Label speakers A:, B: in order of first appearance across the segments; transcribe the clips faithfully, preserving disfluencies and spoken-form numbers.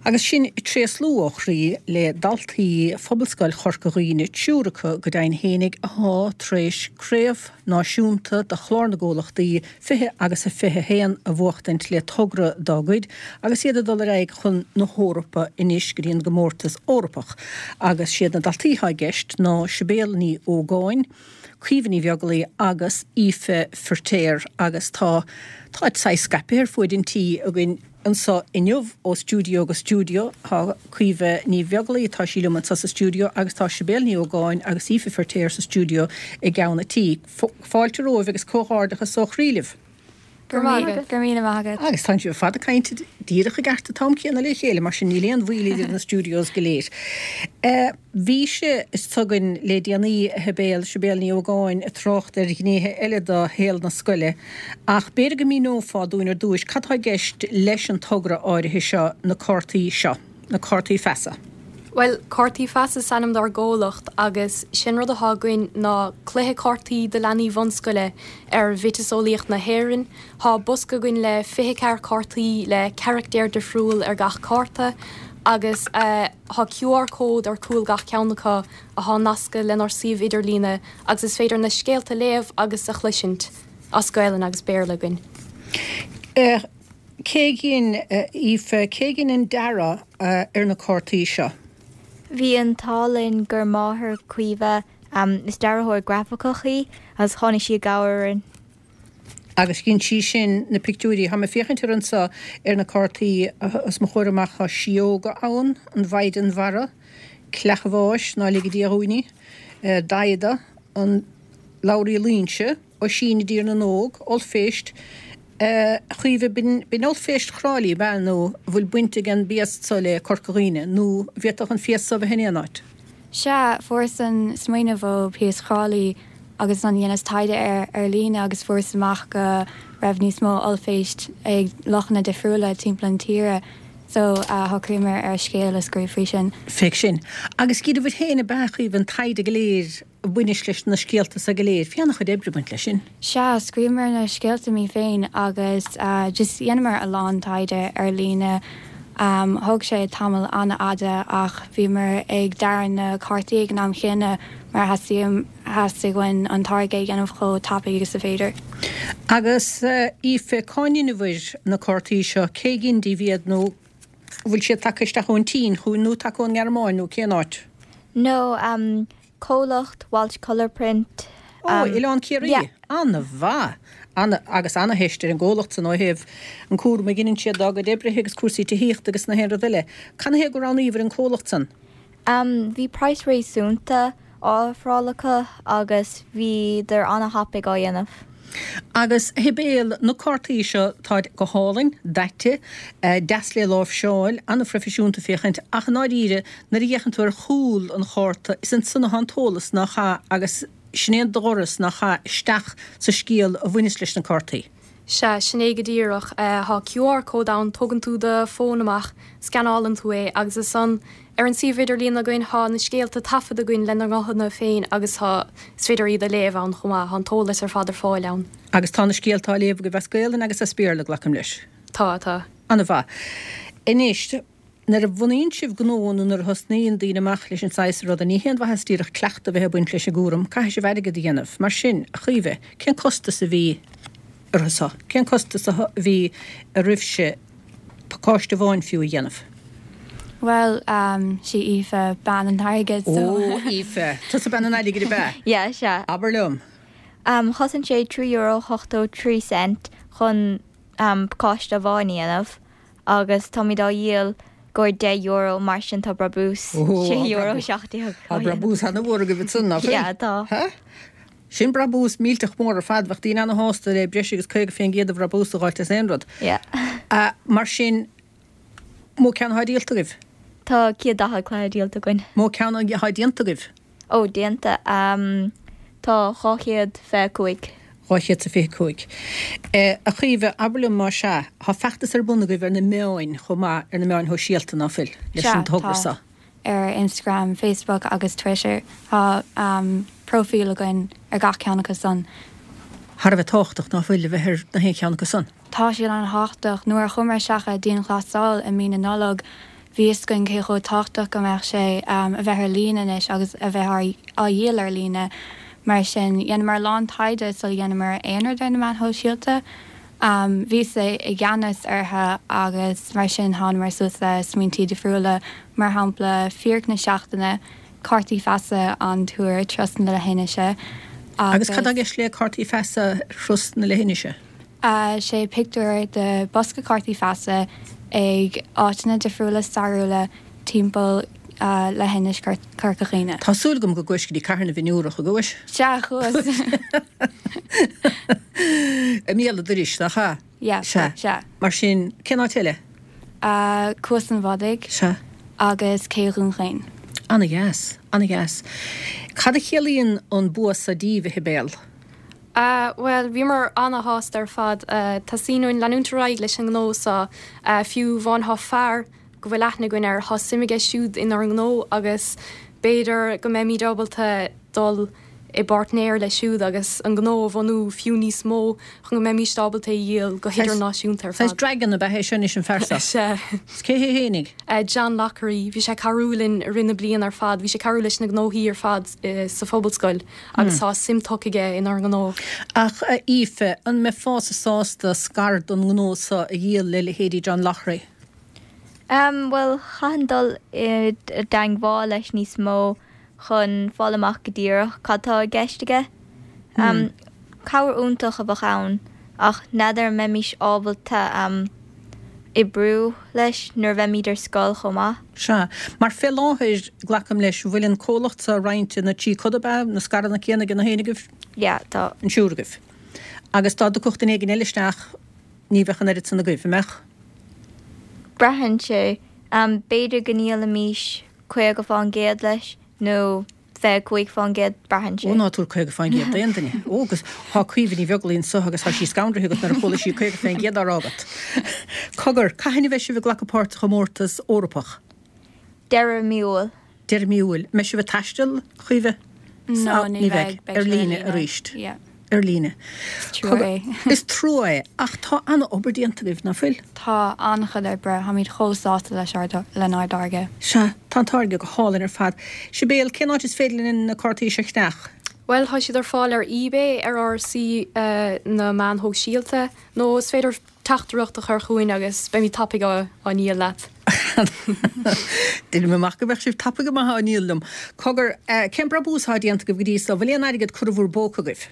A: Agus sin tréaslú ó chroí le daltaí Phobalscoil Chorca Dhuibhne, triúr acu go deimhin fhéinig atá tar éis craobh náisiúnta de chlár na gcomhlachtaí fiche agus a fiche haon a bhuachtaint le togra dá gcuid agus iad ag dul ar aghaidh chun na hEorpa anois go dtí an gcomórtas Eorpach. Agus siad na daltaí atá i gceist ná Sibéal Ní Ógáin, Caoimhe Ní Bheaglaoí agus Aoife Firtéar agus tá tá saghas scaipthe ar fuaid an tí againn anseo inniu ó stiúideo go stiúideo tá Caoimhe Ní Bheaglaoí tá sí liom anseo sa stiúideo agus tá Sibéal Ní Ógáin agus Aoife Firtéar sa stiúideo i gceann an tí. Fáilte romhaibh agus comhghairdeachas ó chroí libh.
B: Go raibh míle maith agat.
A: Agus tá sibh fada cainte díreach i gceart an t-am céanna le chéile mar sin níl aon mhoill idir na studios go léir. Uh, bhí sé is tugann le déanaí a Shibéal Sibéal Ní Ógáin ag trácht ar ghnéithe eile de shaol na scoile, ach b'fhéidir go míneofá dúinn ar dtús cad tá i gceist leis an togra áirithe seo na cártaí seo, na cártaí feasa.
B: Well, cártaí feasa is ainm dár gcomhlacht agus sin rud atá againn ná cluiche cártaí do leanaí bunscoile ar mhiotaseolaíocht na hÉireann. Tá bosca againn le fiche ceathair cártaí le carachtar difriúil ar gach cárta agus uh, tá QR cód ar cúl gach ceann acu atá nasctha lenár suíomh idirlíne agus is féidir na scéalta léamh agus a chloisint as Gaelainn agus Béarla againn.
A: Uh, Cé dhein Aoife cé dhein an dearadh uh, ar na cártaí seo.
C: Bhí an t-ádh linn gur máthair Caoimhe um, is dearthóir grafaiceach í agus tháinig sí i gcabhair orainn.
A: Agus dhein sí sin na pictiúirí Tá mé féachaint ar anseo ar na cártaí os mo chomhair amach tá síóga ann an Mhaighdean Mhara, Cleach an Bháis ná lige Dia dhúinn í, Daghda, an Labhraí Loingsigh, Oisín i dTír na nÓg, Ollphéist, Caoimhe b'in Ollphéist Thrá Lí be nó bhfuil baint ag an bpiast seo le Corca Dhuibhne nó bhféadfadh an phiast seo bheith in aon áit.
D: Sea, fuaireas an smaoineamh ó phiast Thrá Lí agus an dheineas taighde ar ar líne agus fuaireas amach go raibh níos mó ollphéist ag lochanna difriúla timpeall an tíre. So uh, shocraíomar ar scéal a scríobh faoi sin.
A: Féach sin. Agus dheineabhair féin ab ea Caoimhe an taighde go léir baineas leis na scéalta sa go léir, Bhí an-chuid oibre baint leis sin.
D: Sea, scríobhamar na scéalta muid féin agus uh, just dhéanamar a lán taighde ar líne. Um, thóg sé tamall an-fhada ach bhíomar ag dearadh na cártaí ag an am chéanna mar theastaigh theastaigh uainn an táirge a dhéanamh chomh tapaidh agus is féidir.
A: Agus Aoife cá ndeineabhair na cártaí seo cé dhein daoibh iad nó bhfuil siad tagtha isteach ón tSín chugainn nó tagtha ón nGearmáin nó cén áit?
C: No, um, comhlacht Walsh Colour Print.
A: Ó, um, Oileán Ciarraí?
C: Yeah.
A: An-mhaith. Ana, agus an-theist ar an gcomhlacht san ó thaobh an cúram a dheineann siad dá gcuid oibrithe agus cúrsaí tithíochta agus na haon rud eile. Canathaobh gur roghnaíobhair an comhlacht san?
C: Um, bhí price réasúnta á ofráil acu agus bhíodar an-thapaidh á dhéanamh.
A: Agus Shibéal na cártaí seo tá go hálainn, daite, deas le láimhseáil, an-phroifisiúnta féachaint ach i ndáiríre nuair a fhéachann tú ar chúl an chárta is ansan atá an t-eolas nach ea agus sin é an doras nach ea isteach sa scéal a bhaineas leis na cártaí.
B: Sea, sin é go díreach tá QR cód ann tógann tú do fón amach, scanálann tú é agus is ann ar an suíomh idirlín againn tá na scéalta taifeadta againn lena nguthanna féin agus tá is féidir iad a léamh ann chomh maith, tá an t-eolas ar fad ar fáil ann.
A: Agus tá na scéalta á léamh agaibh as Gaelainn agus as Béarla glacaim leis.
B: Tá, tá.
A: An-mhaith. Anois, nuair a bhunaíonn sibh gnó nó nuair a thosnaíonn daoine amach leis an saghas ruda, ní haon mhaitheas díreach cleachtadh a bheith ag baint leis an gcúram, caithfidh sibh airgead a dhéanamh. Mar sin, a Chaoimhe, cén costas a bhí orthu seo? Cén costas a bhí oraibhse pacáiste amháin fiú a dhéanamh?
D: Well, um, sí Aoife bean an airgid so.
A: Ó, Aoife, tusa bean an airgid ab ea?
C: Yeah, sea.
A: Abair liom.
C: Um, chosain sé trí euro ochtó trí cent chun um, pacáiste amháin a dhéanamh agus táimid á dhíol gur deich euro mar sin tá brabús sé euro seacht déag.
A: Tá brabús an-mhór agaibh ansan nach bhfuil?
C: Yeah, tá.
A: Ha? Sin brabús millteach mór ar fad, bheadh daoine ana-shásta le breis agus caoga faoin gcéad de bhrabús a dh'fháilt as aon rud.
C: Yeah.
A: Uh, mar sin, mó ceann atá díolta agaibh?
C: Tá céad daichead cluiche díolta againn.
A: Mó ceann atá déanta agaibh?
C: Ó, déanta. Um, tá dhá chéad fiche cúig.
A: Dhá chéad sa fiche cúig. Eh, a Chaoimhe, abair liom má sea, tá feachtas ar bun agaibh ar na meáin chomh maith ar na meáin shóisialta ná fuil leis
D: Sea,
A: an togra
D: tá.
A: seo.
D: Ar Instagram, Facebook agus Twitter tá um, profile againn ar gach ceann acu san.
A: Thar a bheith tábhachtach ná fuil a bheith ar na haon cheann acu san.
D: Tá sé an-tábhachtach nuair a chuamar isteach i dianghlasáil i mí na Nollag, Bhí fhios againn cé chomh tábhachtach go mbeadh sé a bheith ar líne anois agus a bheith á dhíol ar líne. Mar sin, dhéanamar a lán taighde sula dhéanamar aon rud ar na meáin shóisialta. Bhíos i gceannas orthu agus mar sin thánamar suas le smaointí difriúla, mar shampla fíric na seachtaine, cártaí feasa an túr Turas na Leithinise
A: agus. Agus cad tá i gceist le cártaí feasa Thuras na Leithinise?
D: Sé pictiúr de bosca cártaí feasa ag áiteanna difriúla stairiúla timpeall Leithinis Chorca Dhuibhne.
A: Tá súil agam go gcuais go dtí Cathair na bhFionnúrach, an gcuais?
D: Sea, chuas.
A: I mbéal an dorais, nach ea?
D: Yeah,
A: Sea.
D: sea.
A: Mar sin, cén áit eile?
D: Cuas an Bhodaigh.
A: Sea.
D: Agus Cé Dhún Chaoin.
A: Ana-dheas, ana-dheas. Cad a chiallaíonn an bua so díbh, a Shibéal?
B: Bhuel, bhíomar ana-shásta ar fad. Teastaíonn uainn leanúint ar aghaidh leis an ngnó so. Fiú amháin thá fear go bhfuil aithne againn air, thá suim aige siúd inár ngnó agus b'fhéidir go mbeimíd ábalta dul i bpáirtnéir leis siúd agus an gnó a bhunú fiú níos mó chun go mbeimíst ábalta é a dhíol go hidirnáisiúnta ar
A: Saghas
B: fad.
A: dragon ab ea é seo anois an fear seo?
B: Sea.
A: Is cé hé fhéinig?
B: John Lockery. Bhí sé ag cabhrú linn i rith na bliana ar fad. Bhí sé ag cabhrú leis na gnóthaí ar fad sa Phobalscoil agus tá suim tugtha aige inár ngnó.
A: Ach a Aoife, an mbeifeása sásta scair den ngnó seo a dhíol le leithéidí John Lockery?
C: Um, bhuel, chaithfinn dul i dteagmháil leis níos mó chun fáil amach go díreach cad tá i gceist aige. Um, cabhair iontach a bheadh ann, ach n'fheadar an mbeimís ábalta um, oibriú leis nuair a bheimid ar scoil chomh maith.
A: Sea. Mar fé láthair, glacaim leis, bhfuil an comhlacht seo roinnte ina trí coda, ab ea? Na scaireanna céanna ag na haon agaibh?
C: Yeah, tá.
A: An triúr agaibh. Agus dá dtiocfadh duine éigin eile isteach, ní bheadh an oiread san agaibh, an mbeadh?
C: Braitheann sé. B'fhéidir go ndíolfaimis caoga fán gcéad leis nó fiche cúig fán gcéad, braitheann sé.
A: Ó ná tabhair caoga fán gcéad d'aon duine. Ó agus thá Caoimhe Ní Bheaglaoí anso agus thá sí scanraithe agat nuair a chuala sí caoga fén gcéad á rá agat. Cogar, cathain a bheidh sibh ag glacadh páirt sa chomórtas Eorpach?
C: Deireadh mí Iúil.
A: Deireadh mí Iúil. Mbeidh sibh ag taisteal, a Chaoimhe?
D: No, ní
A: Ní bheidh.
D: bheidh. Beidh
A: Ar
D: sé ar
A: líne
D: líne.
A: arís.
D: Yeah.
A: Ar líne.
D: Is trua é.
A: Is trua é, ach tá an-obair déanta agaibh, ná fuil?
D: Tá an-chuid oibre, táimid chomh sásta leis ár lenár dtáirge.
A: Sea, tá an táirge go hálainn ar fad. Sibéal, cén áit is féidir linn na cártaí seo a cheannach?
B: Bhuel, tá siad ar fáil ar eBay, ar ár suíomh na meáin shóisialta, nó is féidir teachtaireacht a chur chugainn agus beimid tapaidh á á ndíol leat.
A: Deinim amach go mbeadh sibh tapaidh go maith á ndíol liom. Cogar, cén brabús atá déanta agaibh go dtí so? Bhfuil aon airgead curtha i bhur bpóca agaibh?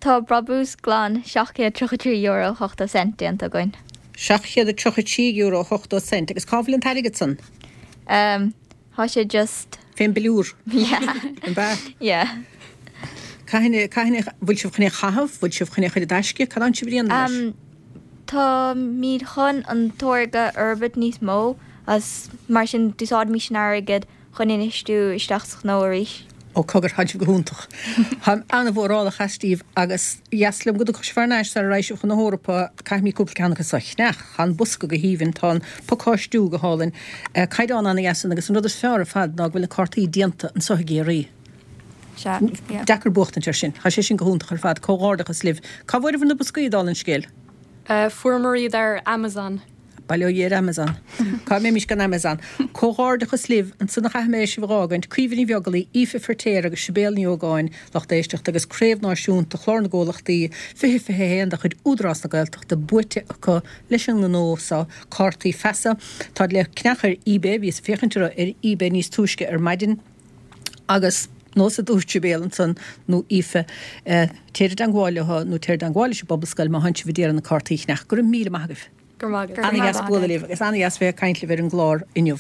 C: Tá brabús glan seacht gcéad tríocha trí euro ochtó cent déanta againn.
A: Seacht chéad a tríocha trí euro ochtó cent. Agus cá bhfuil an t-airgead san?
C: Um, tá sé just.
A: Fén bpiliúr.
C: Yeah.
A: An b'ea?
C: Yeah.
A: Cathain, cathain, bhfuil sibh chun é a chaitheamh? Bhfuil sibh chun é a chur i dtaisce? Cad tánn sibh a dhéanamh leis?
C: Um, táimid chun an táirge a fhorbairt níos mó as mar sin d'úsáidfimis an airgead chun infheistiú isteach sa ghnó arís.
A: Ó cogar, tánn sibh go hiontach. Táim an-mhórálach astaibh agus dheas liom go dtiocfadh sibh thar n-ais sara raghaidh sibh chun na hEorpa. Caithfimid cúpla ceann acu so a cheannach. Tá an bosca go haoibhinn, tá an pacáistiú go hálainn, caighdeán an-dheas ann agus an rud is fearr ar fad ná go bhfuil na cártaí déanta anso i gCiarraí.
D: Sea, yeah.
A: Deacair buachtaint air sin. Tá sé sin go hiontach ar fad. Comhghairdeachas libh. Cá bhfuaireabhair na boscaí, dála an scéil?
B: Fuaireamar iad ar Amazon.
A: Bail ó Dhia ar Amazon. Cá mbeimis gan Amazon? Comhghairdeachas libh, ansan a chaithfidh mé sibh a dh'fhágaint, Caoimhe Ní Bheaglaoí, Aoife Feirtéar agus Sibéal Ní Ógáin, lucht éisteachta agus Craobh Náisiúnta Chlár na gComhlachtaí fiche fiche a haon de chuid Údarás na Gaeltachta buaite acu leis an ngnó so, Cártaí Feasa. Táid le ceannach ar eBay, bhíos ag féachaint orthu ar eBay níos túisce ar maidin agus nós a dúirt Sibéal ansan nó Aoife, téir i dteangmháil leo nó téir i dteangmháil leis an bPobalscoil má thánn sibh ag iarraidh na cártaí a cheannach. Go raibh míle maith agaibh.
B: Go raibh maith agat.
A: Ana-dheas bualadh libh agus ana-dheas bheith ag caint libh ar an gclár inniu.